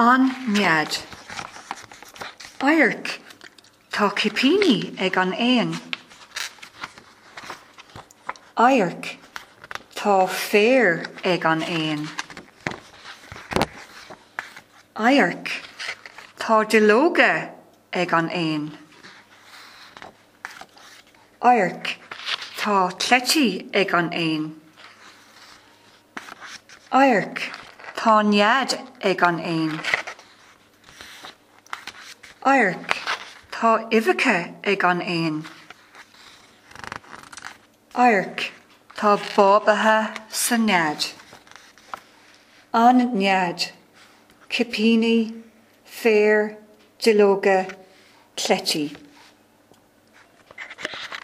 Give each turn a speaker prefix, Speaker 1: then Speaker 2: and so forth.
Speaker 1: An nead. Adharc, Tá cipíní ag an éan. Adharc, Tá féar ag an éan. Adharc, Tá duilleoga ag an éan. Adharc, Tá cleití ag an éan. Adharc, Tá nead ag an éan. Adharc, Tá uibheacha ag an éan. Adharc, Tá bábaithe sa nead. An nead, cipíní, féar, duilleoga, cleití.